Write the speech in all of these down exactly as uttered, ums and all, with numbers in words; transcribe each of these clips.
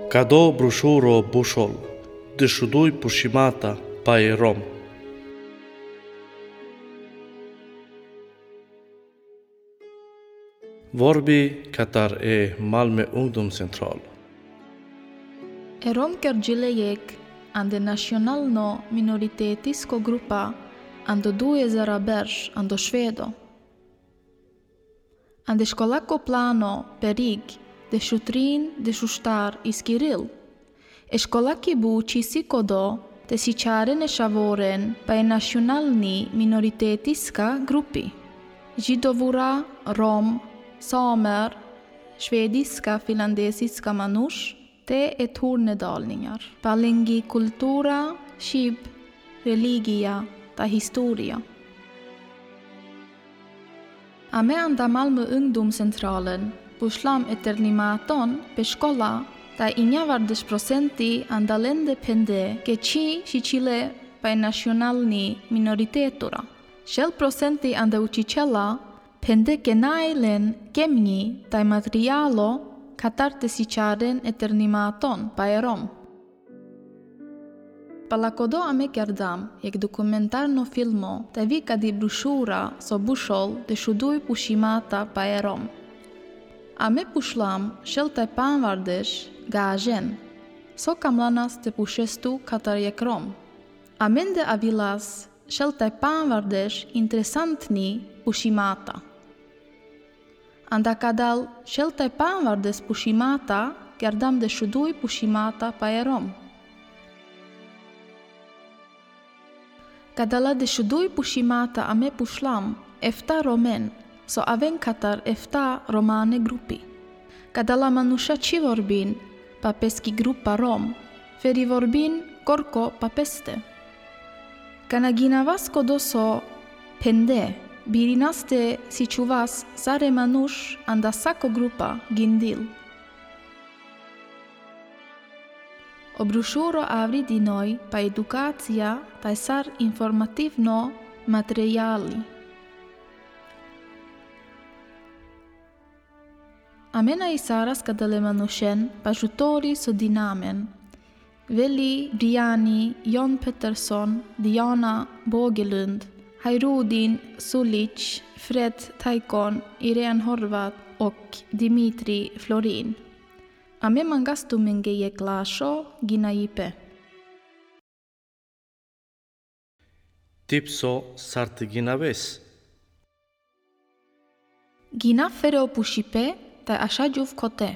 Kado brošuro bušol, dešuduj pušimata pa e Rom. Vorbi katar e Malmö Ungdomscentral. E Rom kergji le jekh ande nacionalno minoritetisko grupa ando duezera berš ando Švedo. Ande školako plano perig dešutrin dešuštar iskiril. E školaki buči sikodo te sičaren e šavoren pa e nacionalni minoritetiska grupi. Židovura, Rom, samer, švediska, finlandesiska manuš, te e tornedalningar. Palengji kultura, šib, religija, ta historija. Ame anda Malmö Ungdomscentralen pušlam e ternimaton pe škola, ta injavardeš prosenti anda lende pende ke či, či čhile pa e nacionalni minoritetura. Šel prosenti anda učičela pende ke naj len kemnji taj materijalo katar te sičaren e ternimaton pa e Rom. Pala kodo ame kerdam jekh dokumentarno filmo, taj vi kadi brošura so bušol dešuduj pušimata pa e Rom. Ame pušlam šel taj panvardeš gažen so kamlanas te pušestu katar jekh Rom. Amende avilas šel taj panvardeš interesantni pušimata. Anda kadal šel taj panvardeš pušimata, kerdam dešuduj pušimata pa e Rom. Kadala dešuduj pušimata ame pušlam efta Romen, so aven katar efta romane grupi. Kadala manuša či vorbin pa peski grupa Rom, feri vorbin korko pa peste. Kana ginavas kodo so pende, birinas te sičuvas sar e manuš anda sako grupa gindil. O brošuro avri dinoj pa edukacija taj sar informativno materijali. Ame na isaras kadale manušen pa žutori so dinamen. Veli, Briani, Jon Pettersson, Diana Bogelund, Hairudin Sulic, Fred Taikon, Irene Horvat ok Dimitri Florin. Ame mangastu menge jekh lašo ginajipe. Tipso sar te ginaves. Ginav fere o pušipe taj ašađuv kote.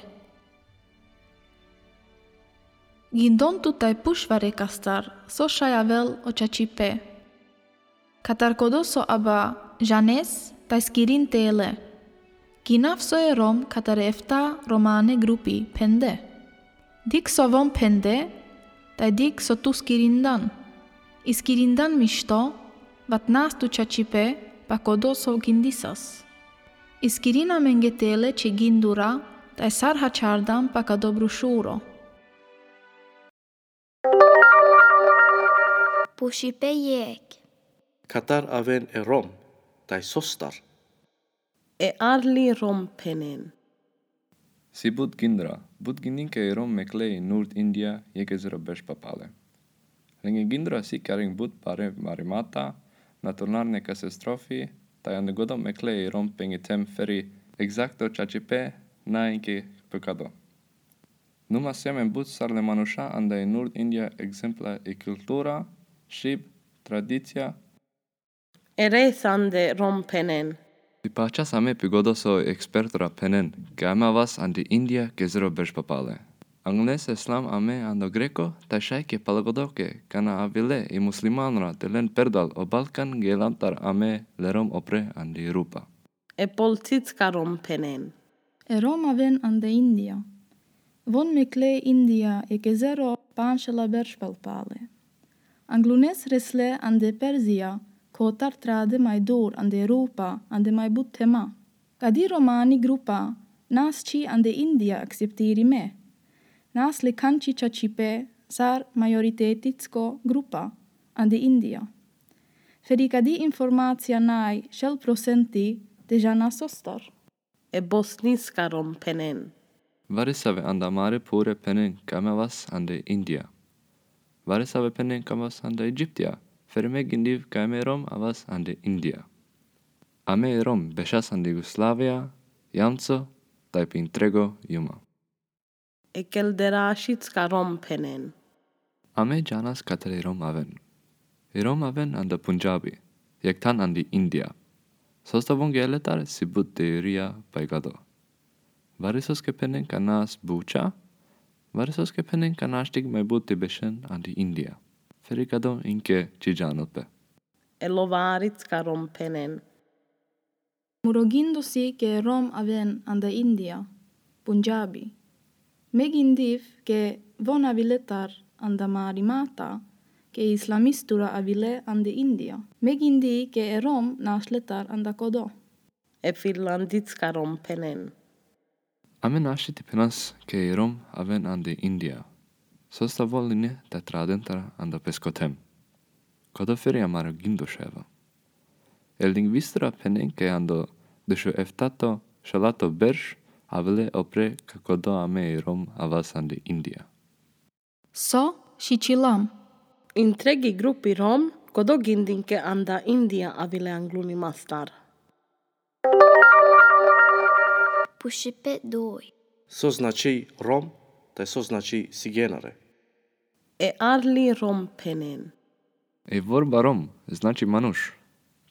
Gindon tu taj pušvarekastar so šaj avel o čačipe. Katar kodo so aba žanes taj skirin tele. Ginav so e Rom katar efta romane grupi pende. Dikh so von pende, taj dikh so tu skirindan. Iskirindan mišto, vat nas tu čačipe pa kodo so gindisas. Iskirin amenge tele čhe gindura, taj sar hačardan pa kado brošuro. Pušipe jekh. Katar aven e Rom, taj sostar. E arli Rom penen. Si but gindra, but gindinke e Rom mekle i Nurd India jekh ezero berš papale. Lenge gindra si kareng but bare marimata, naturalne katastrofi, taj ande kodo mekle i Rom penge tem feri egzakto čačipe nainke pe kado. Numa si amen but sar le manuša anda i Nurd India egzempla i kultura, šib, tradicija. E res ande Rom penen. Si pačas ame pe kodo so ekspertra penen, ke ame avas andi India jekh ezero berš papale. Angles eslam ame ando Greko, taj šaj ke pala kodo ke kana avile i muslimanra te len perdal o Balkan, gelantar ame le Rom opre andi Evropa. E polcicka Rom penen. E Rom aven ande India. Von mekle India jekh ezero panšela berš papale. Anglunes resle ande Perzija, kotar trade maj dur ande Evropa, ande maj but tema. Kadi romani grupa nas či ande India akceptirime. Nas le kanči čačipe sar majoritetitsko grupa ande India. Feri kadi informacija naj šel prosenti te žana sostar. E bosniska Rom penen. Varesave ande amare pure phenen kaj ame avas ande India. Varesave phenen kaj ame avas ande Egiptia, fere me gindiv kaj ame Rom avas ande India. Ame e Rom bešas ande Jugoslavija, jamco, taj pe intrego juma. E kelderasicka Rom phenen. Ame džanas katare Rom aven. E Rom aven ande Pundžabi, jekh than ande India. Sosta vongja letar si but dejorija paj gado. Varesoske phenen kaj nas buča, varesoske phenen kaj naštik maj but te bešen ande India. Fere gado inke či džanel pe. E lovaricka Rom phenen. Muro gindosi ke Rom aven ande India, Pundžabi. Me gindiv ke von avi letar ande amari mata, ke islamistura avile ande India. Me gindi ke e Rom naš letar ande kodo. E finlandicka Rom phenen. Ame našti te phenas ke e Rom aven ande India. Sosta volini te traden tar ande peskothem. Kodo fere amaro gindoševa. E lingvistura phenen ke ande dušo eftato, šelato berš, avile opre kaj kodo ame e Rom avas ande India. So sičilam. Intregi grupi Rom, kodo gindin ke ande India avile angluni mastar. Pušipet doj. So znači Rom, taj so znači sigenare. E arli Rom phenen. E vorba Rom znači manuš.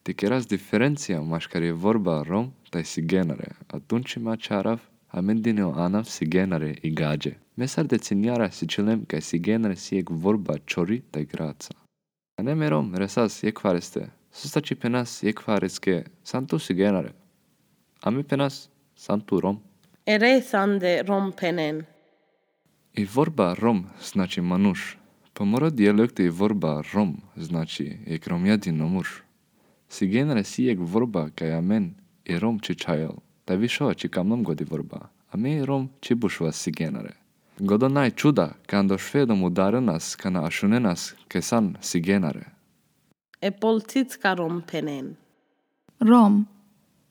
Te keras diferencija maškar e vorba Rom taj sigenare, a tunči ma čarav, a me dine o anav sigenare i gadže. Me sar decenijara sičilem kaj sigenare si jekh vorba čori taj graca. Ane me Rom resas jekhvareste, sosta či phenas jekhvareske, san tu sigenare. Ame phenas, san tu Rom. E resande Rom phenen. I vorba Rom znači manuš. Po moro dijalekto i vorba Rom znači jekh romjadino murš. Sigenare si jekh vorba kaj amen i Rom či čhajol. Taj višo či kamlom godi vorba. Ame i Rom či bušova sigenare. Godo naj čuda, kaj ando Švedo mudarenas, kaj na ašunenas, kaj san sigenare. E polcicka Rom phenen. Rom.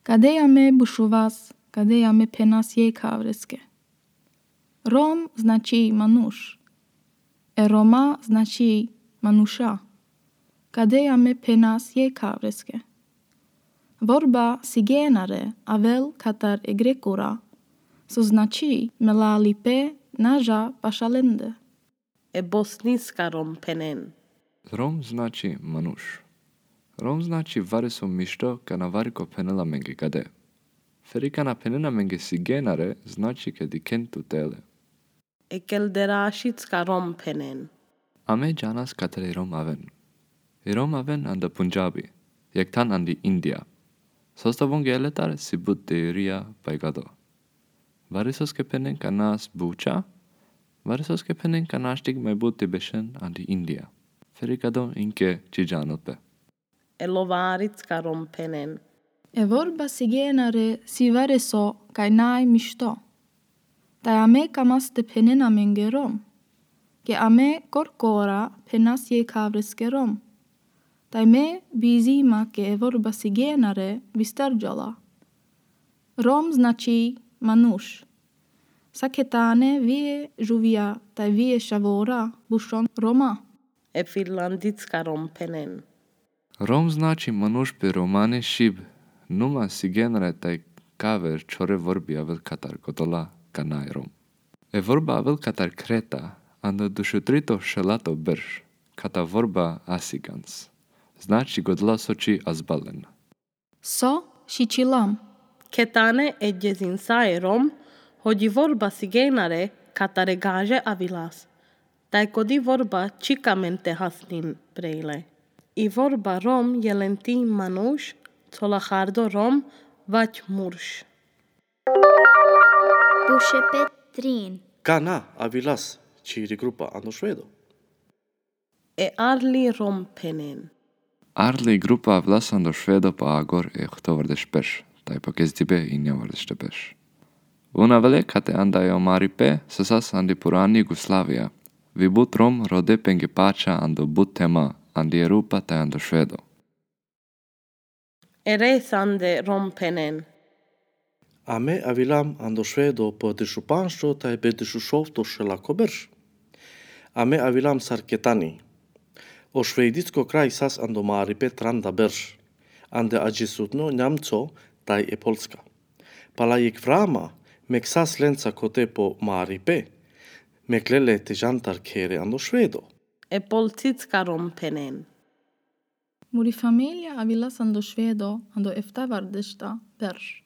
Kadej ame bušovas, kadej ame phenas jekhavreske. Rom znači manuš. E Roma znači manuša. Kadej ame phenas jekhavreske. Vorba sigenare avel katar e Grekura, so znači melalipe naža pašalende. E bosniska Rom phenen. Rom znači manuš. Rom znači vareso mišto kaj na vari ko phenela amenge gade. Fere kaj na phenena amenge sigenare, znači kaj dikhen tute le. E kelderašicka Rom phenen. Ame džanas katare Rom aven. E Rom aven ande Pundžabi, jekh than ande India. Sosta vongja letar si but dejorija paj gado. Varesoske phenen kaj nas buča, varesoske phenen kaj naštik maj but te bešen ande India. Fere gado inke či džanel pe. E lovaricka Rom phenen. E vorba sigenare si vareso kaj naj mišto. Taj ame kamas te phenena amenge Rom. Ke ame korkora phenas jekhavreske Rom. Taj me vizima ke e vorba sigenare vistarđola. Rom znači manuš. Sa ketane vie žuvja taj vie šavora bušon Roma. E finlandicka Rom phenen. Rom znači manuš pe romani šib, numa sigenare taj kaver čore vorbi avel katar godola kaj naj Rom. E vorba avel katar Kreta, ande dušutrito šelato berš, kata vorba asigans. Znači godola so či azbalen. So šičilam. Ketane e džezinsae Rom, hodži vorba sigenare katare gaže avilas. Taj kodi vorba čikamen te hasnin prejle. I vorba Rom jelen ti manuš, cola hardo Rom, vač murš. Pušipet trin. Kana avilas čiri grupa ando Švedo? E arli Rom phenen. Arli grupa avilas ando Švedo po agor e ohtovardeš peš, taj po gezdibe injavardeš peš. Una vele kate ande e omari pe, sasas ande purani Jugoslavija. Vi but Rom rode penge pača ando but tema, ande Evropa taj ando Švedo. E resande Rom phenen. Ame avilam ando Švedo po dešupanšto taj pe dešušovto šelako berš. Ame avilam sar Ketani. O šveditsko kraj sas ando maripe tranda berš. Ande adžesutno Njamco taj e Polska. Pala jekh vrama, mek sas lenca kote po maripe, mek lele te džantar khere ando Švedo. E Polcicka Rom phenen. Muri familija avilas ando Švedo ando eftavardešta berš.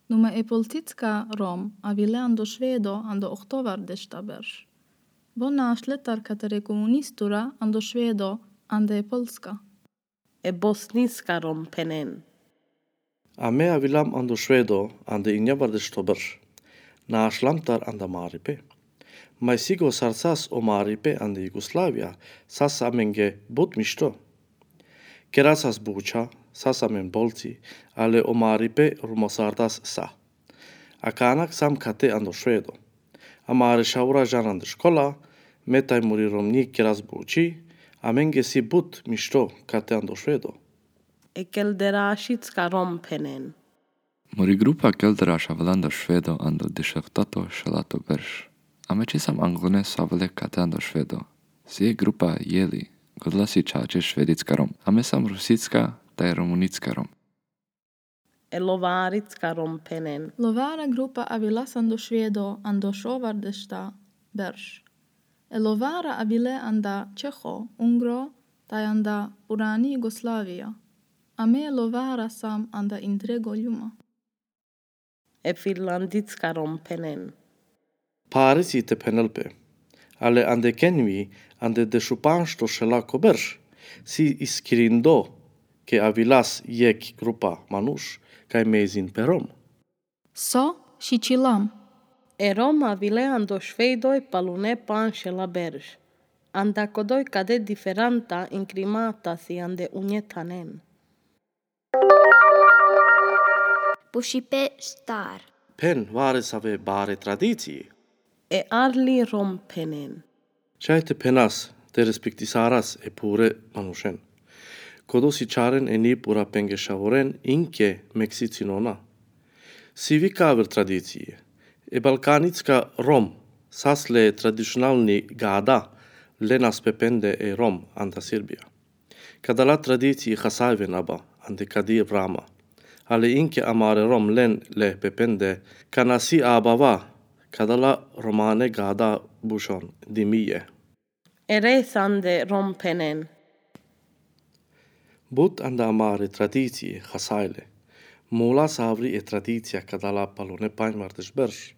Numa e Polcicka Rom avile ando Švedo ando ohtovardešta berš. Vo našle tar katere komunistura ando Švedo ande e Polska. E Bosnicka Rom phenen. Ame avilam ando Švedo ande injavardešuto berš. Našlam tar anda maripe. Maj sigo sar sas o maripe ande Jugoslavija, sas amenge but mišto. Kera sas buča, sas amen bolci, ale o maripe rumosardas sa. Akana sam kate ando Švedo. Amare šavura džan ande škola, me taj muri romnji keras buči, amenge si but mišto kate ando Švedo. E Kelderašicka Rom phenen. Muri grupa Kelderaš avela ando Švedo ando dešuohtato šelato berš. Ame česam anglune so avele kate ando Švedo. Si e grupa jeli, godela si čače švedicka Rom. Ame sam rusicka taj romunicka Rom. E Lovaricka Rom phenen. Lovara grupa avilas ando Švedo ando šovardešta berš. E Lovara avile anda Čeho, Ungro, taj anda purani Jugoslavija. Ame e Lovara sam anda intre goljuma. E Finlandicka Rom phenen. Parisi te phenel pe. Ale ande kenvi, ande dešupanšto šelako berš, si iskirindo, ke avilas jekh grupa manuš, kaj mezin pe Rom. So šičilam. E Rom avile ando Švedo e palune panšela berš. Anda kodoj kade diferanta in krimata si ande unje thanen. Pušipe štar. Phen varesave bare tradicije. E Arli Rom phenen. Čaj te phenas, te respektisaras e pure manušen. Kodo si čaren e ni pura penge šavoren, inke mek si cinona. Si vikaver tradicije. E Balkanicka Rom, sas le tradicionalni gada, lenas pe pende e Rom anda Sirbija. Kadala tradicije hasajven aba, ande kadi vrama. Ale inke amare Rom len le pe pende, kana si abava, kadala romane gada bušon dimije. E Resande Rom phenen. But anda amare tradicije hasajle. Mula savri e tradicija kadala palune panjvardeš berš.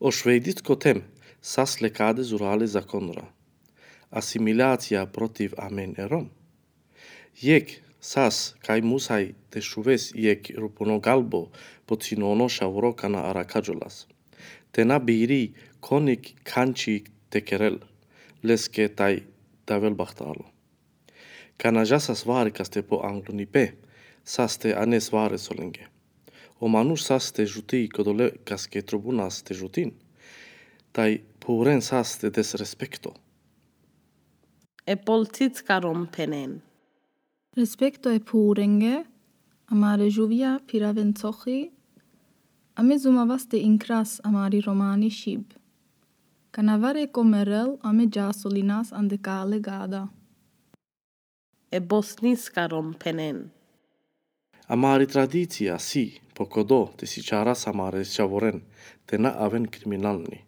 O šveditsko tem sas le kade zurale zakonra. Asimilacija protiv amen e Rom. Jekh sas kaj musaj te šuves jekh rupuno galbo po cinono šavoro kana araka džolas. Te na biri konik kanči te kerel, leske taj te avel bahtalo. Kana džasas varekaste po anglunipe, sas te anes vares olenge. O manuš sas te žuti kodolekaske trubunas te žutin, taj puren sas te des respekto. E Polcicka Rom phenen. Respekto e purenge, amare žuvja phiraven cohi, ame zumavaste inkras amari romani šib. Kana vare ko merel, ame džasolinas ande kale gada. E Bosnicka Rom phenen. Amari tradicija si, po kodo te sičaras amare šavoren, te na aven kriminalni.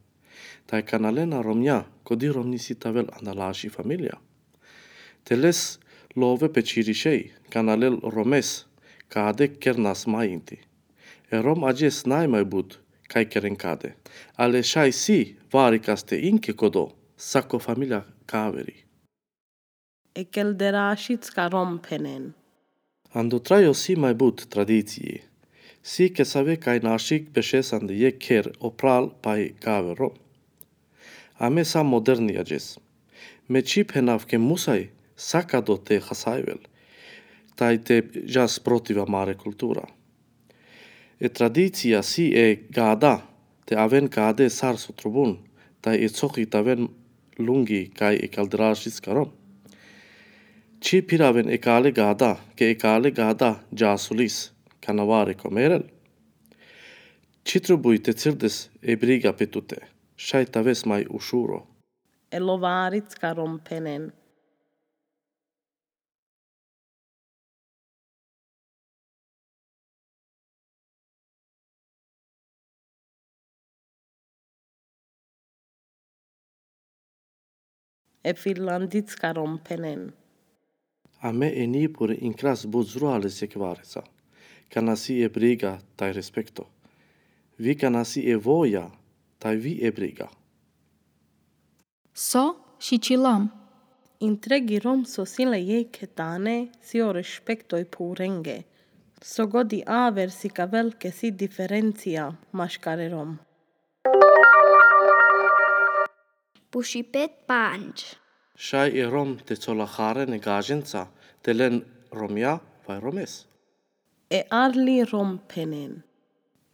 Taj kana lena romnja, kodi romni si te avel anda laši familija. Te les love pe čirišej, kana lel romes, kade kernas majinti. E Rom adžes najmaj but, kaj keren kade. Ale šaj si, varekaste inke kodo, sako familija kaveri. E Kelderašicka Rom phenen. Ando trajo si maj but tradicije. Si kesave kaj našik bešes ande jekh kher o pral paj kaver Rom. Ame sam moderni adžes. Me či phenav ke musaj sakado te hasajvel. Taj te džas protiv amare kultura. E tradicija si e gada, te aven kade sar so trubun, taj e cohi te aven lungi kaj e Kelderašicka Rom. Či phiraven e kale gada, ke e kale gada džasolis, kana vare ko merel. Či trubuj te cirdes e briga pe tute, šaj te aves maj ušuro. E lovaricka rom phenen. E finlandicka rom phenen. Amen e Nipure inkras but zruale sekvareca. Kana si e briga thaj respekto. Vi kana si e voja thaj vi e briga. So šičilam. Intregi rom so si le jekhe tane si o respekto e phurenge. So godi aver si ka velike si diferencija maškar e rom. Pušipet pandž. Šaj e rom te colaharen e gadženca te len romja vaj romes. E arli rom phenen.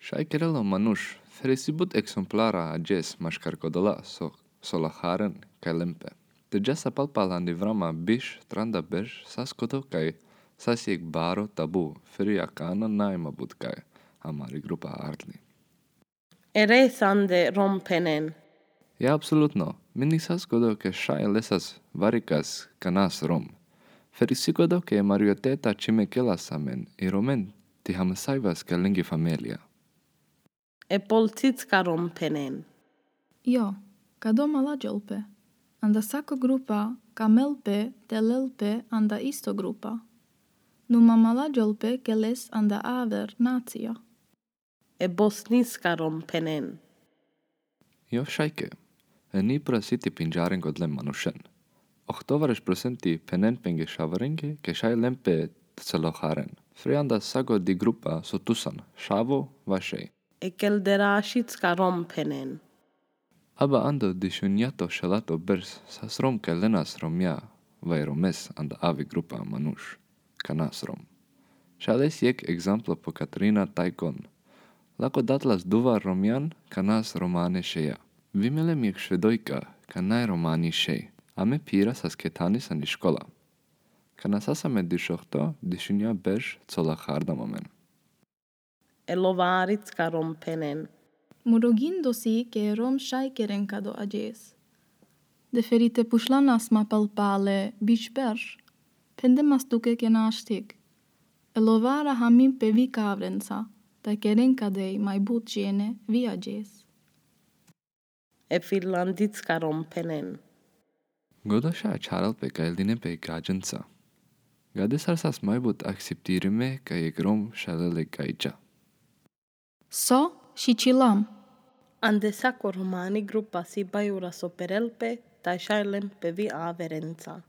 Šaj kerela o manuš, feri si but eksemplara adžes maškar kodola so colaharen kaj len pe. Te džasa palpal andi vrama biš tranda berš sas kodo kaj sas jekh baro tabu, feri akana naj ma but kaj amari grupa arli. E resande rom phenen. Ja, apsolutno. Meni sas kodo ke šaj lesas varikas kanas rom. Feri si kodo ke marioteta čimekela amen i romen ti hamasajvas ke lengi familija. E polcicka rom phenen. Jo, kado ma lađolpe. Anda sako grupa ka melpe te lelpe anda isto grupa. Numa ma lađolpe ke les anda aver nacija. E bosniska rom phenen. Jo šajke. E Nipura si ti pindžaren god len manušen. Ohtovareš prosenti phenen penge šavorenge ke šaj len pe te colaharen. Fri anda sago di grupa so tusan, šavo vaj šej. E kelderašicka rom phenen. Aba ando dišunjato šelato berš sas rom kaj lenas romja vaj romes anda avi grupa manuš kanas rom. Šaj les jekh egzamplo po Katarina Tajkon. Lako datlas duvar romjan kanas romane šeja. Vi melem jekh švedojka kaj naj romani šej. Amen phira sas kethanis andi škola. Kana sas amen dišohto, dišunja berš colahardam amen. E lovaricka rom phenen. Muro gindo si ke rom šaj keren kado adžes. De feri te pušlanas ma palpale biš berš, phendemas tuke ke naštik. E lovara hamin pe vi kavrenca, thaj keren kadej maj but džene vi adžes. E finlandicka rom phenen. Godo šaj ačharel pe kaj line pe gadženca. Gade sar sas maj but akceptirime kaj jekh rom šaj lele gajča. So šičilam. Ande sako romani grupa si bajura so perel pe, thaj šaj len pe vi averenca.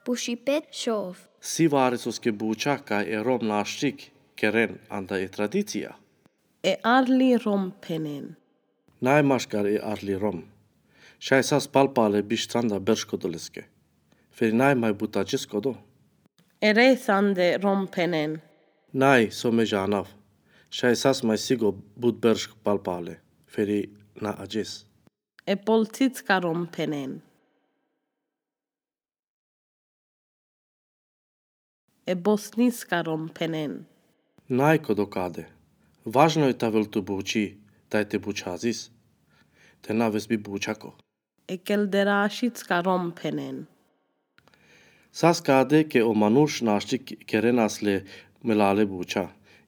Pušipet šov. Si varesoske buča kaj e rom naštik keren anda e tradicija. E arli rom phenen. Naj maškar e arli rom. Šaj sas palpale biš tranda berš kodoleske. Feri naj maj but adžes kodo. E resande rom phenen. Naj so me džanav. Šaj sas maj sigo but berš palpale. Feri na adžes. E polcicka rom phenen. E bosniska rom phenen. Naj kodo kade. Važno i te avel tu buči, thaj te bučazis. Te na aves bi bučako. E kelderašicka rom phenen. Sas kade ke o manuš naštik kerenas le melale buča.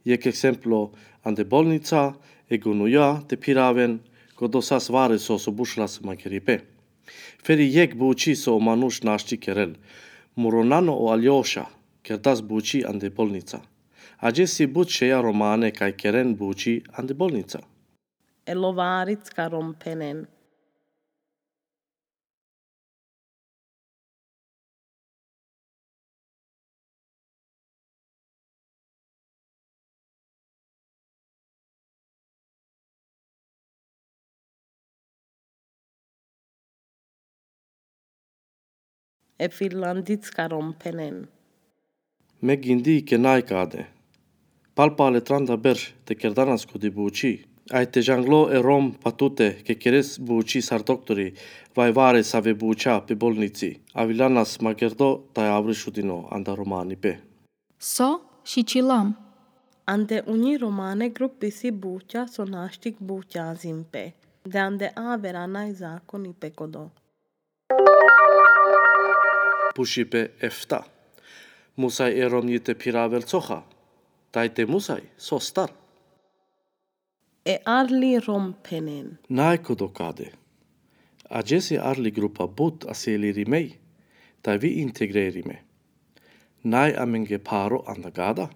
Jekh eksemplo, ande bolnica, e gunuja, te phiraven, kodo sas vareso so bušelas ma keripe. Feri jekh buči so o manuš naštik kerel. Muro nano o Aljoša kerdas buči ande bolnica. Adžes si but šeja romane kaj keren buči ande bolnica. E lovaricka rom phenen. E finlandicka rom phenen. Me gindi ke naj kade. Palpale tranda berš te kerdanas kodi buči. Aj te džanglo e rom pa tute ke keres buči sar doktori, vaj varesave buča pe bolnici. Avilanas ma gerdo thaj avri šudino anda romani pe. So Ande unji romane grupi si butja so naštik butjazin pe. De ande avera naj zakoni pe kodo. Pušipe efta. Musaj e Romnji te phiravel cocha. Taj te musaj, sostar. E arli Rom phenen. Naj kodo kade. Adžes e arli grupa but asilirime, taj vi integrerime. Naj amenge pharo anda gada.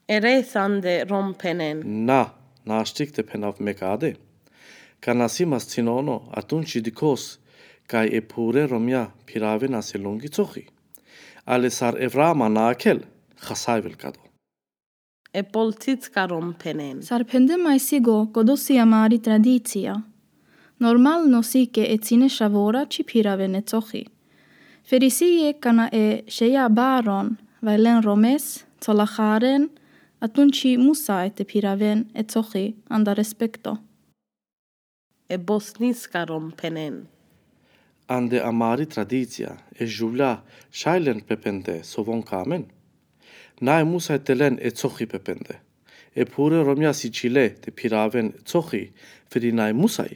E resande Rom phenen. Na, naštik te phenav me kade. Kana si mascinono, atunči dikhos, kaj e phure Romnja phiravena se lungi cochi. Ale sar e vrama na akel, chasajvel kado. E polcicka Rom phenen. Sar phende maj sigo kodo si amari tradicija. Normalno si ke e cine šavora či phiraven e cochi. Feri si jekh kana e šeja baron, vaj len Romes, co lacharen, atunči musaj te phiraven e cochi anda respekto. E bosniska Rom phenen. Ande amari tradicija, e žuvlja šaj len pe phende so von ka amen. Naj musaj te len e cochi pe phende. E phure Romnja si čhile te phiraven cochi, feri naj musaj.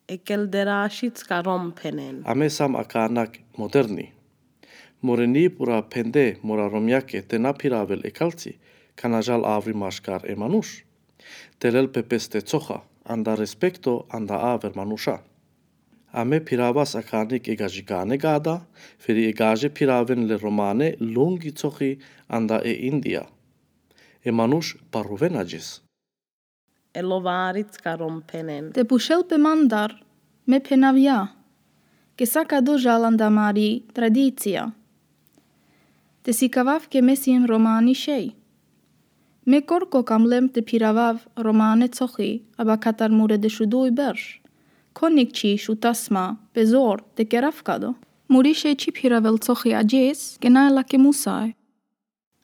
E kelderašicka Rom phenen. Ame sam akanak moderni. Moreni pura phende mora Romnjake te na phiravel e kalci, kana žal avri maškar e manuš. Te lel pe peste cocha, anda respekto, anda aver manuša. Ame phiravas akanik e gažikane gada, feri e gaže phiraven le romane lungi cochi anda e Indija. E manuš paruven adžes. E lovaricka Rom phenen. Te pušel pe mandar, me phenavja. Ke sa kado žal anda amari tradicija. Te sikavav ke me sim romani šej. Me korko ka mlem te phiravav romane cochi, aba katar mure dešuduj berš. Konik či šutasma, pe zor, te kerav kado. Muri šej či phiravel cochi adžes, ke naj lake musaj.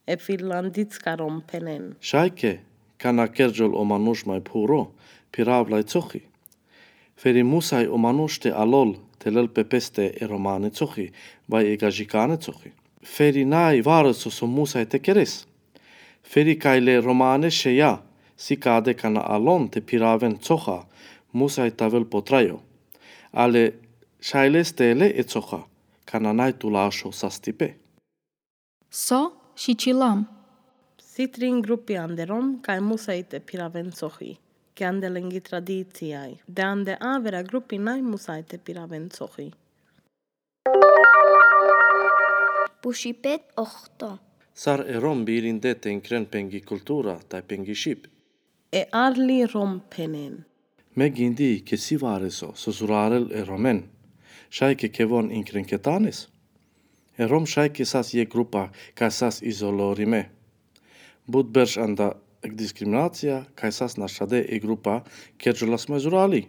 E finlandicka Rom phenen. Šaj ke, kana kerđol o manuš maj phuro, phiravlaj cochi. Feri musaj o manuš te alol, te lel pe peste e romane cochi, vaj e gažikane cochi. Feri naj vareso so musaj te keres. Feri kaj le romane šeja, si kade kana alon te phiraven cocha, musaj te avel potrajo. Ale šaj leste le e cocha, kana naj tu lašo sastipe. So šičilam. Si trin grupi ande Rom, kaj musaj te phiraven cochi, ke ande lengi tradicijaj. De ande avera grupi naj musaj te phiraven cochi. Pušipet ohto. Sar e Rom birinde te inkren pengi kultura, taj pengi šip. E arli Rom phenen. Me gindi ke si vareso so zurarel e Romen. Šaj ke kevon inkren ketanes. E Rom šaj ke sas jekh grupa kaj sas izolirime. But berš anda diskriminacija kaj sas našade e grupa kerđolas maj zurali.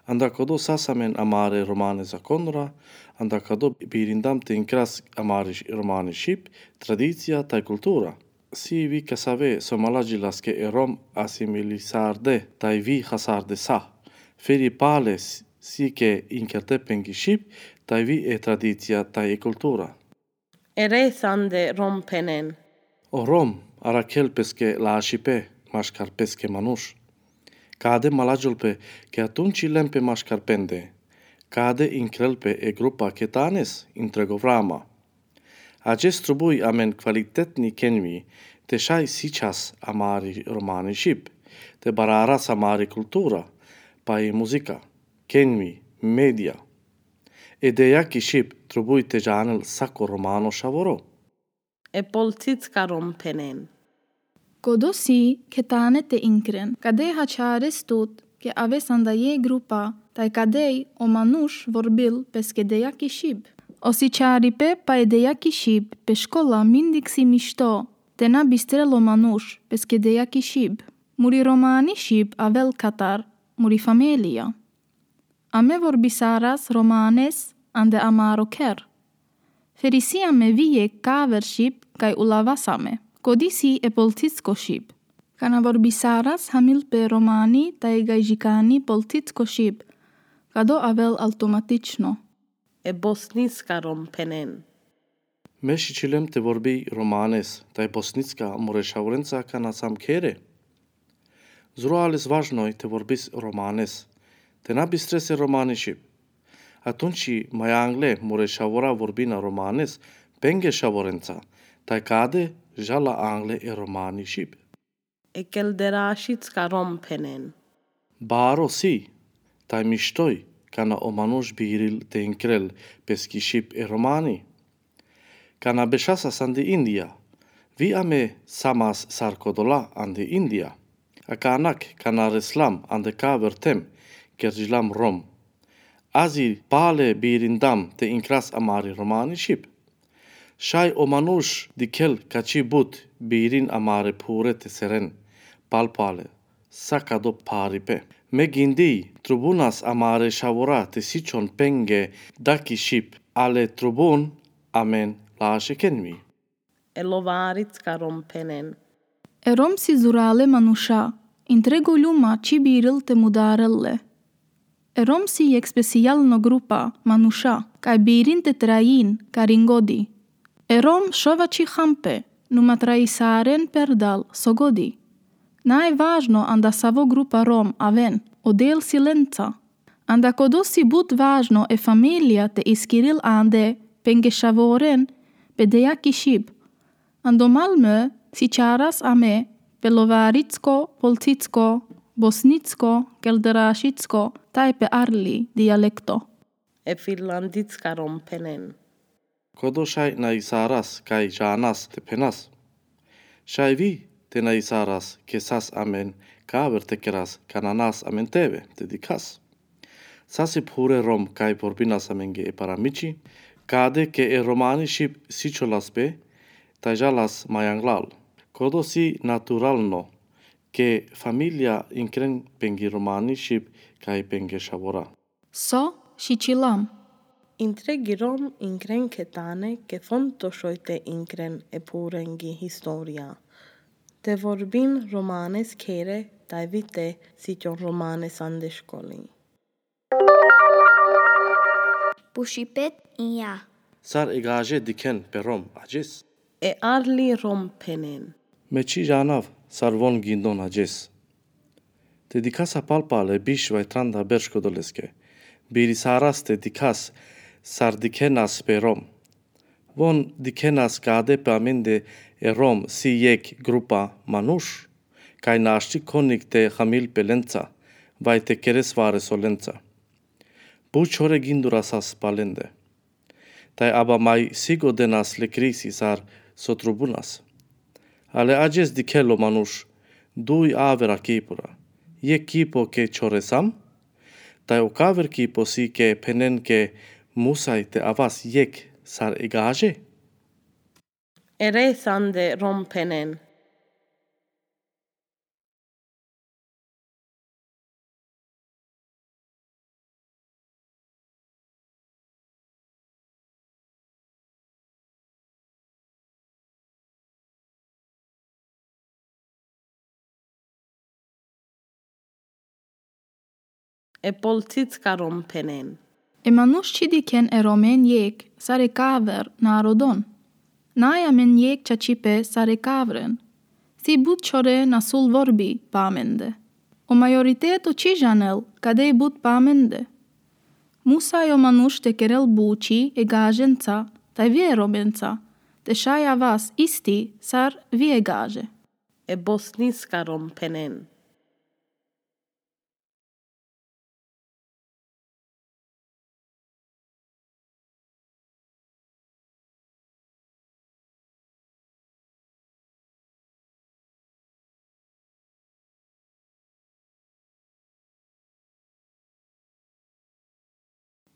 Anda kodo sas amen amare romane zakonra, anda kodo birindam te inkras amari š-, romani šip, tradicija taj kultura. Si vi kasave so malađilas ke e Rom asimilisarde, taj vi chasarde sa. Feri pale s-, si ke inkerde pengi šip, taj vi e tradicija, taj e kultura. E resande Rom phenen. O Rom, arakhel peske lašipe, maškar peske manuš. Kade malađol pe, ke atunči len pe maškar pende. Kade inkrel pe e grupa ketanes, intrego vrama. Adžes trubuj amen kvalitetni kenvi, te šaj sičhas amari romani šip, te bararas amari kultura, pa i muzika, kenvi, medija. E dejaki šip trubuj te džanel sako romano šavoro. E polcicka Rom phenen. Kodo si ketane te inkren, kade hačhares tut, ke aves anda jekh grupa, taj kadej o manuš vorbil peske dejaki šip. O sičharipe pa e dejaki šip pe škola mindik si mišto, te na bistrel o manuš peske dejaki šip. Muri romani šip avel katar muri familija. Ame vorbisaras romanes ande amaro kher. Feri si ame vijek kaver šip kaj ulavas ame. Kodi si e polcicko šip. Kana vorbisaras hamil pe romani taj gajžikani polcicko šip. Kado avel automatično. E bosniska Rom phenen. Me šičilem te vorbi romanes, taj bosnicka mure šavorenca kana sam khere. Zurale važno i te vorbis romanes, te na bistre se romani šib. A tunči maj angle mure šavora vorbina romanes, penge šavorenca, taj kade žala angle e romani šib. E kelderašicka Rom phenen. Baro si, taj mištoj, kana o manuš biril te inkrel peski šib e romani. Kana bešasas ande Indija, vi ame samas sar kodola ande Indija. Akanak kana reslam ande kaver tem, kergjilam Rom. Azi pale birindam te inkras amari romani šib. Šaj o manuš dikhel kači but birin amare phure te seren, palpale, sa kado pharipe. Me gindij, trubunas amare šavora te sičhon penge daki šib, ale trubun amen lašekenmi. E lovaricka Rom phenen. E Rom si zurale manuša, in trego ljuma či biril te mudarel le. E Rom si jekh specijalno grupa manuša, kaj birin te trajin karingodi. E Rom šovači hampe, numa traisaren perdal so godi. Naj važno anda savo grupa Rom aven, o del si lenca. Anda kodo si but važno e familija te iskiril ande penge šavoren, pe dejaki šib. Ando Malmö si čaras ame pe lovaricko, polcicko, bosnicko, kelderašicko, taj pe arli dijalekto. E finlandicka Rom phenen. Kodo šaj na isaras kaj žanas te phenas. Šaj vi te na isaras kesas amen kaver te keras kana nas amen teve te dikhas. Sasi phure Rom kaj vorbinas amenge e paramiči, kade ke e romani šib sičholas pe, taj žalas maj anglal. Kodo si naturalno, ke familija inkren penge romani šib kaj penge šavora. So šičilam. In tregi Rom inkren ketane ke fonto šoj te inkren e phurengi historija. Te vorbin romanes khere, taj vi te sičhon romanes ande školi. Pušipet in ja. Sar e gaže dikhen pe Rom ađes. E arli Rom phenen. Me či žanav sar von gindon ađes. Te dikhasa palpale biš vaj tranda berš kodoleske. Birisaras te dikhas sar dikhenas pe Rom. Von dikhenas kade pe amende e Rom si jekh grupa manuš, kaj našti konik te hamil pe lenca, vaj te keres vares olenca. But čhore gindurasas palende. Taj aba maj sigodenas le krisi sar so trubunas. Ale ađes dikhel o manuš duj avera kipura. Jekh kipo ke čhoresam, taj o kaver kipo si ke phenen ke musaj te avas jekh sar e gaže. Ere sande Rom phenen. E polcicka Rom phenen. E manuš či dikhen e Romen jekh sar e kaver narodon. Naj amen jekh čačipe sar e kavren. Si but čhore nasul vorbi pe amende. O majoriteto či žanel kade but pe amende. Musaj o manuš te kerel buči e gaženca, taj vi e Romenca, te šaj avas isti sar vi e gaže. E bosniska Rom phenen.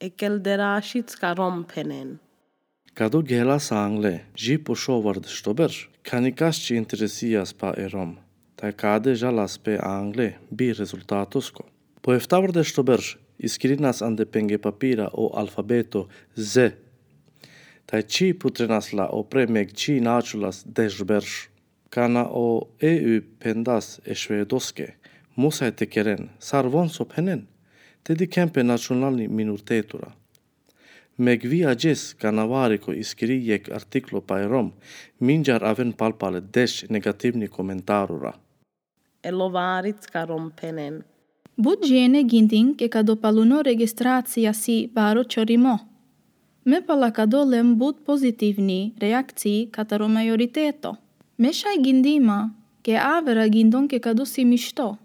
E kelderašicka Rom phenen. Kado gela sa angle, ži po šovardeš to berš, ka nikas či interesijas pa e Rom, taj kade žalas pe angle, bi rezultatosko. Po eftavardeš to berš, iskirinas ande penge papira o alfabeto Z. Taj či putrenas la o pre meg či načulas deš berš. Kana o E U phendas e Švedoske, musaj te keren, sar von so phenen, te dikhen pe nacionalni minoritetura. Me gvi ađes kana variko iskiri jekh artiklo pa e Rom, mindžar aven palpale deš negativni komentarura. E lovarica ka Rom phenen. But džene gindin ke kado paluno registracija si baro čorimo. Me pala kado lem but pozitivni reakcii kataro majoriteto. Me šaj gindima ke avera gindon ke kado si mišto.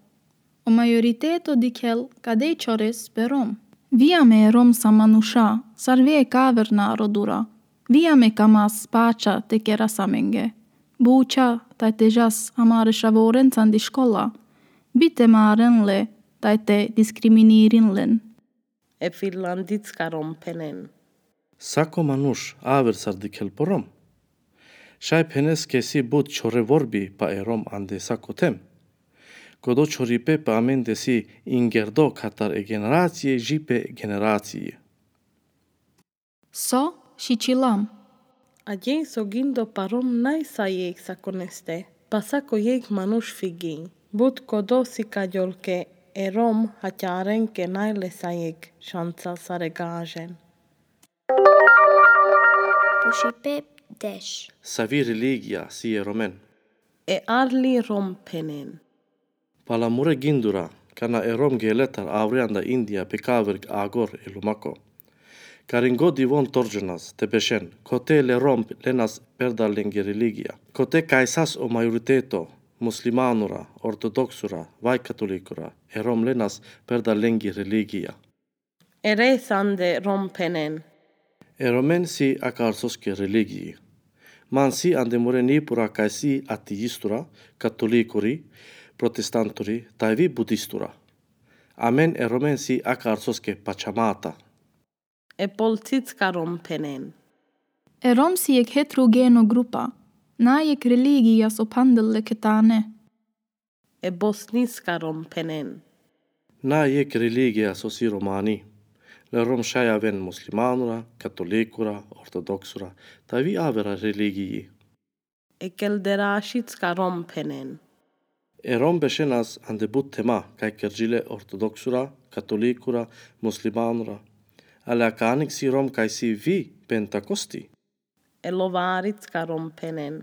O majoriteto dikhel ka dej čores pe Rom. Vijame e Rom sa manuša, sar vijek aver narodura. Vijame ka mas pača te keras amenge. Buča, taj te džas amare šavorenca ande škola. Bi te maren le, taj te diskriminirin len. E Finlandica ka Rom phenen. Sako manuš aver sar dikhel po Rom. Šaj phenes ke si but čhore vorbi pa e Rom ande sako them. Kodo čhoripe pa amende si ingerdo katar e generacije dži pe generacije. So šičilam. Ađe so gindo pa Rom naj sa jekh sakoneste, pa sako jekh manuš figin. But kodo si kađol ke e Rom haćaren ke naj le sa jekh šansa sar e gažen. Pušipet deš. Savi religija si e Romen? E Arli Rom phenen. Pala mure gindura, kana e Rom gele tar avri anda Indija pe kaver agor e lumako. Karin godi von torđonas te bešen, kote le Rom lenas perda lengi religija. Kote kaj sas o majoriteto, muslimanura, ortodoksura, vaj katolikura, e Rom lenas perda lengi religija. Ere sande Rom phenen. E Romen si akar soske religiji. Man si ande mure nipura kaj si ateistura, katolikuri, protestanturi, taj vi budistura. Amen e Romen si akar soske pačamata. E Polcica ka Rom phenen. E Rom si jekh heterogeno grupa, naj jekh religija so phandel le ketane. E Bosniska Rom phenen. Naj jekh religija so si romani. Le Rom šaj aven muslimanura, katolikura, ortodoksura, taj vi avera religiji. E Kelderašicka Rom phenen. E Rom bešenas ande but thema, kaj kerđi le ortodoksura, katolikura, muslimanura. Ale akanik si Rom kaj si vi pentakosti. E Lovaricka Rom phenen.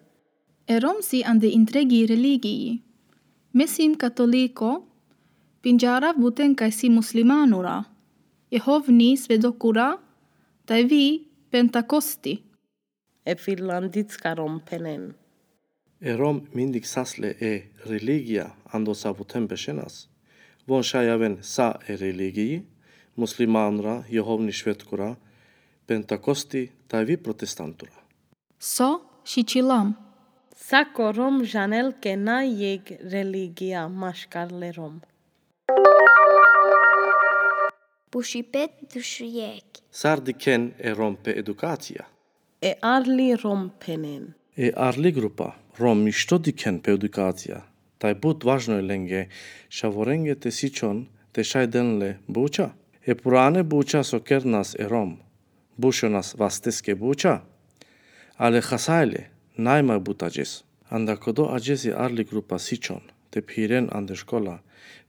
E Rom si ande intregi religiji. Me sim katoliko, pindžarav buten kaj si muslimanura, Jehovni svedokura, taj vi pentakosti. E Finlandicka Rom phenen. E Rom mindik sas le e religija ando sa buten bešenas. Von šaj aven sa e religiji, muslimanura, Jehovni svedokura, pentakosti, taj vi protestantura. So šičilam. Sako Rom žanel ke naj jekh religija maškar le Rom. Pušipet, dušujekh. Sar dikhen e Rom pe edukacija? E Arli Rom phenen. E Arli grupa Rom mišto dikhen pe edukacija. Taj but važno e lenge, šavorenge te sičhon te šaj den le buča. E purane buča so kernas e Rom, bušonas vasteske buča. Ale hasaj le, naj maj but ađes. Anda kodo ađes e Arli grupa sičhon te phiren ande škola,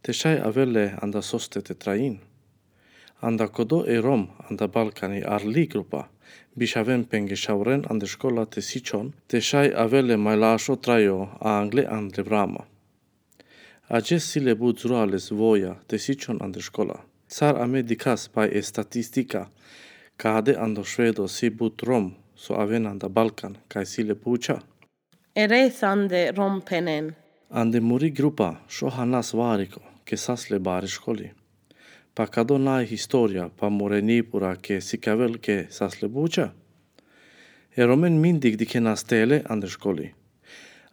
te šaj avel le anda soste te trajin. Anda kodo e Rom anda Balkani Arli grupa bišaven penge šavoren ande škola te sičhon, te šaj avel le maj lašo trajo angle andre vrama. Ađes si le but zurales voja te sičhon ande škola. Sar ame dikhas paj e statistika, kade ando Švedo si but Rom so aven anda Balkan kaj si le buča. Ere sande Rom phenen. Ande muri grupa šohanas variko ke sas le bare školi. Pa kado naj historija pa mure nipura ke sikavel ke sas le buča. E Romen mindik dikhenas tele ande školi.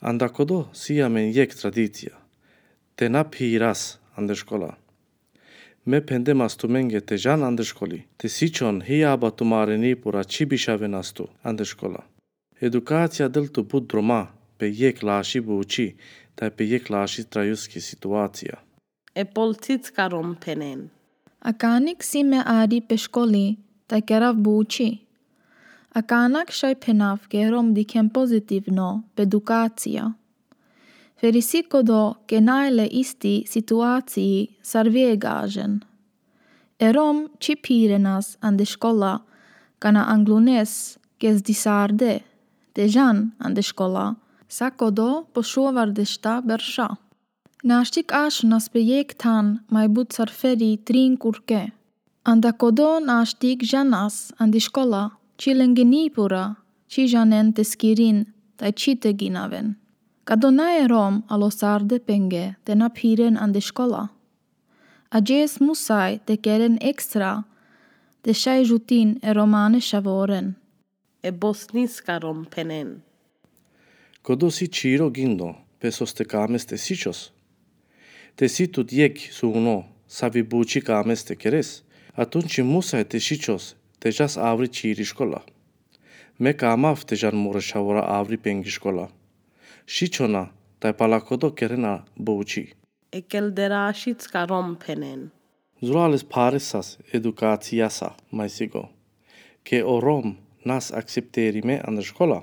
Anda kodo si amen jekh tradicija. Te na phiras ande škola. Me phendemas tumenge te džan ande školi. Te sičhon hijaba tumare nipura či bišavenas tu ande škola. Edukacija del tu but droma pe jekh laši buči, taj pe jekh laši trajuski situacija. E Polcicka Rom phenen. Akanik si me ari pe školi, taj kerav buči. Akanak šaj phenav ke Rom dikhen pozitivno pe edukacija. Feri si kodo ke naj le isti situaciji sar vi e gažen. E Rom či phirenas ande škola, Kana anglunes, ke si disarde te džan ande škola, sa kodo po šovardešta berša. Našti ašonas pe jekh than maj but sar feri trin kurke. Anda kodo našti džanas ande škola, či lenge ni pura, či džanen te skirin, taj či te ginaven. Kado na e Rom, alo sarde penge te na phiren ande škola. Adžes musaj te keren ekstra, te šaj žutin e romane šavoren. E bosniska romphenen. Kodo si čiro gindo, pe sos te kames te sičos. Te si tut jekh suno, savi buči kames te keres. Atunči musaj te sičos, te džas avri čiri škola. Me kamav te džan more šavora avri penge škola. Sičona, taj pala kodo kerena buči. E kelderašitska romphenen. Zurales paresas edukacijasa, maj sigo. Ke o Rom nas akcepterime ande škola.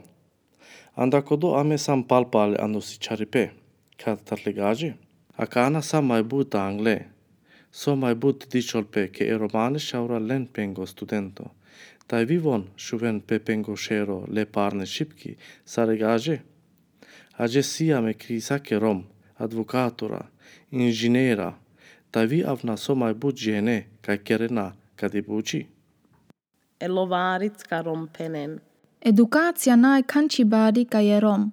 Anda kodo ame sam palpale ando si čaripe, katar le gaže. Akana sa maj but angle. So maj but dičolpe ke e romane šavora len pengo studento. Taj vi von šuven pe pengo šero le parne šipki, sar e gaže. Adžes si ame krisa ke Rom, advokatura, inžinera, taj vi avna so maj but džene, kaj kerena kadi buči. E lovaritska romphenen. Edukacija naj kanči bari kaj e Rom,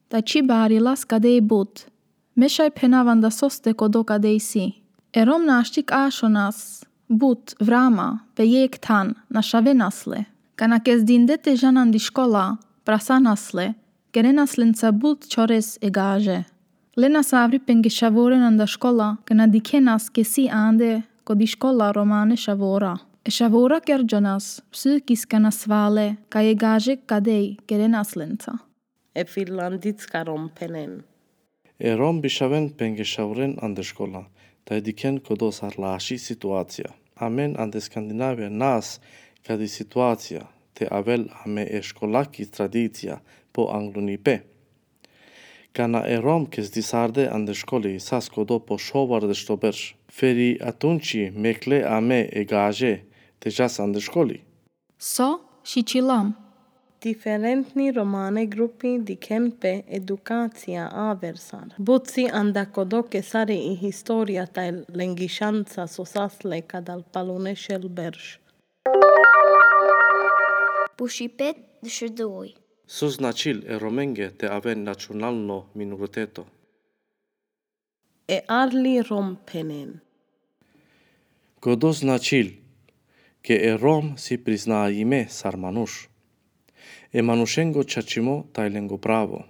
taj či barilas kadej but. Me šaj phenav anda sos te kodo kadej si. E Rom našti ašonas but vrama, pe jekh than, našavenas le. Kana ke si dinde te džan andi škola, prasanas le, kerenas lenca but čores e gaže. Lenas avri penge šavoren anda škola, kana dikhenas ke si ande, kodi škola romane šavora. E šavora kerdžonas, psihička nasvale, kaj e gaže kadej kerenas lenca. E finlanditska romphenen. E Rom bišaven penge šavoren ande škola, taj dikhen kodo sar laši situacija. Amen ande Skandinavija nas kadi situacija, te avel ame e školaki tradicija po anglunipe. Kana e Rom ke si disarde ande školi sas kodo po šovardešto berš. Feri atunči mekle ame e gaže te džas ande školi. So, šičilam. Diferentni romane grupi dikhen pe edukacija aver sar. But si anda kodo ke sari i historija taj lengišanca so sas le kadal palune šel berš. Pušipet dešuduj. So značil e Romenge te aven nacionalno minoriteto. E arli romphenen. Kodo značil, ke e Rom si priznajime sar manuš. E manušengo čačimo taj lengo pravo.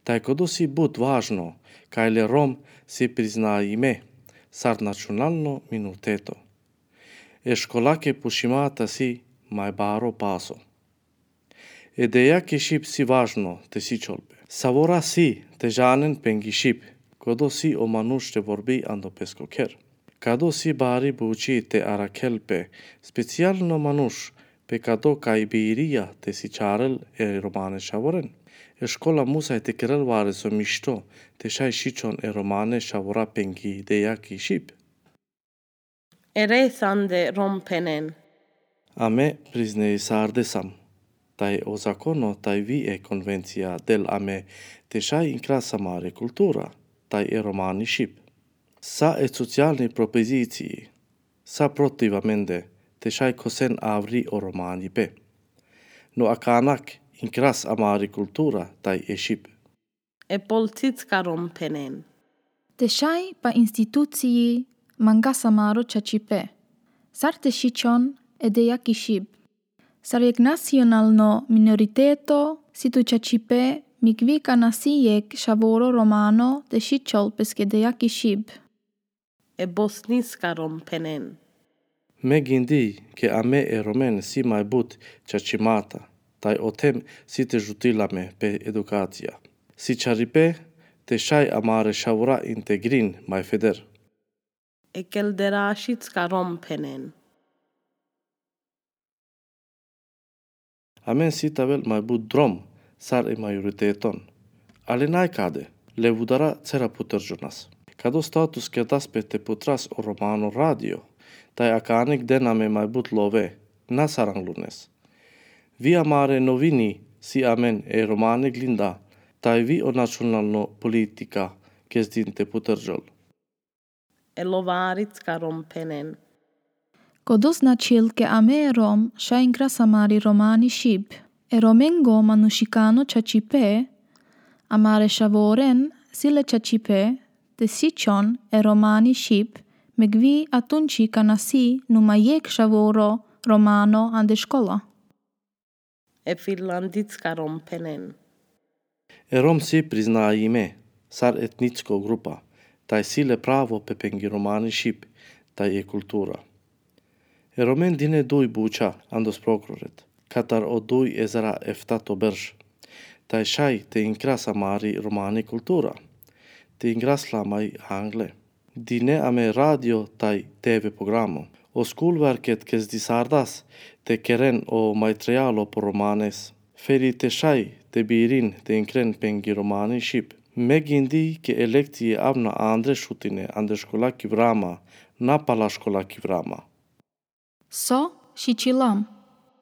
Taj kodo si but važno, kaj le Rom si priznajime sar nacionalno minoriteto. E školake pušimata si maj baro paso. E dejaki Šip si važno te sičolpe. Savora si te džanen penge Šip, kodo si o manuš te vorbi ando pesko kher. Kado si bari buči te arakhel pe, specijalno manuš, pe kado kaj birija te sičarel e romane šavoren. E škola musaj te kerel vares o mišto, te šaj sičon e romane šavora penge dejaki Šip. E resande romphenen. Ame priznejisarde sam. Taj o zakono, taj vi e konvencija del ame te šaj inkras amare kultura, taj e romani Šip. Sa e socijalni propoziciji, sa protiv amende, te šaj kosen avri o romani pe. No akanak inkras amari kultura, taj e Šip. E polcitska romphenen. Te šaj pa instituciji mangas amaro čačipe. Sar te sičon e dejaki Šip. Sar jekh nacionalno minoriteto, si tu čačipe, mik vi kana si jekh šavoro romano te sičol peske dejaki Šip. E bosniska romphenen. Me gindij ke ame e Romen si maj but čačimata, taj o tem si te žutil ame pe edukacija. Si čaripe te šaj amare šavora integrin maj feder. E kelderašitska romphenen. Amen si te avel maj but drom, sar e majoriteton. Ali naj kade, le vudara cera puterđonas. Kado status kerdas pe te putras o romano radio, taj akanik den ame maj but love, na sar anglunes. Vi amare novini si amen e romane glinda, taj vi o nacionalno politika kezdin te putrđol. E Lovaricka Rom phenen. Kodo značil ke ame e Rom šaj inkras amari romani šib. E Romengo manušikano čačipe, amare šavoren si le čačipe, te sičhon e romani šib, me gvi atunči kana si numa jekh šavoro romano ande škola. E Finlandicka Rom phenen. E Rom si priznajime sar etničko grupa, taj si le pravo pe pengji romani šib, taj e kultura. E Romen dine duj buča andos prokuroret, katar o duj ezara eftato berš, taj šaj te inkras amari romani kultura, te inkras lamaj angle. Dine ame radio taj TV programo. O skulverket kezdisardas te keren o majtrijalo po romanes. Feri te šaj te birin te inkren pengji romani šib. Me gindi ke e lekcije avna andre šutine ande škola ki vrama, na pala škola ki vrama. So šičilam.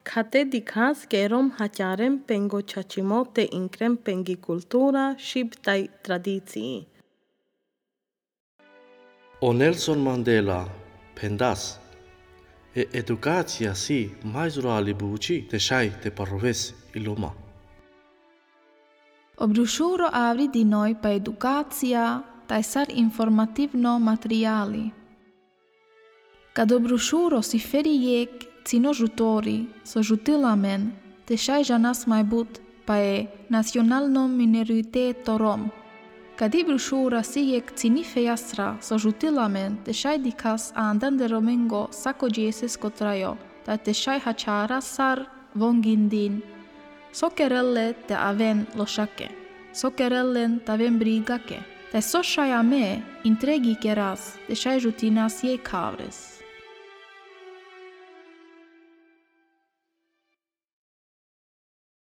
Kate dikhas ke e Rom haćaren pengo čačimo te inkren pengji kultura šib taj tradiciji. O Nelson Mandela phendas: e edukacija si majzurali buči te šaj te paroves i loma. O brušuro avri dinoj pa edukacija taj sar informativno materijali. Kad o brušuro si feri jekh cino žutori so žutila amen te šaj žanas maj but pa e nacionalno minoriteto Rom. Kad i brušura si jekh cini fejastra so žutila amen te šaj dikhas ande ande Romengo sako džesesko trajo, taj te šaj haćaras sar von gindin. So kerel le te aven lošake, so kerel len te aven brigake, taj so šaj ame intregi keras te šaj žutinas jekh avres.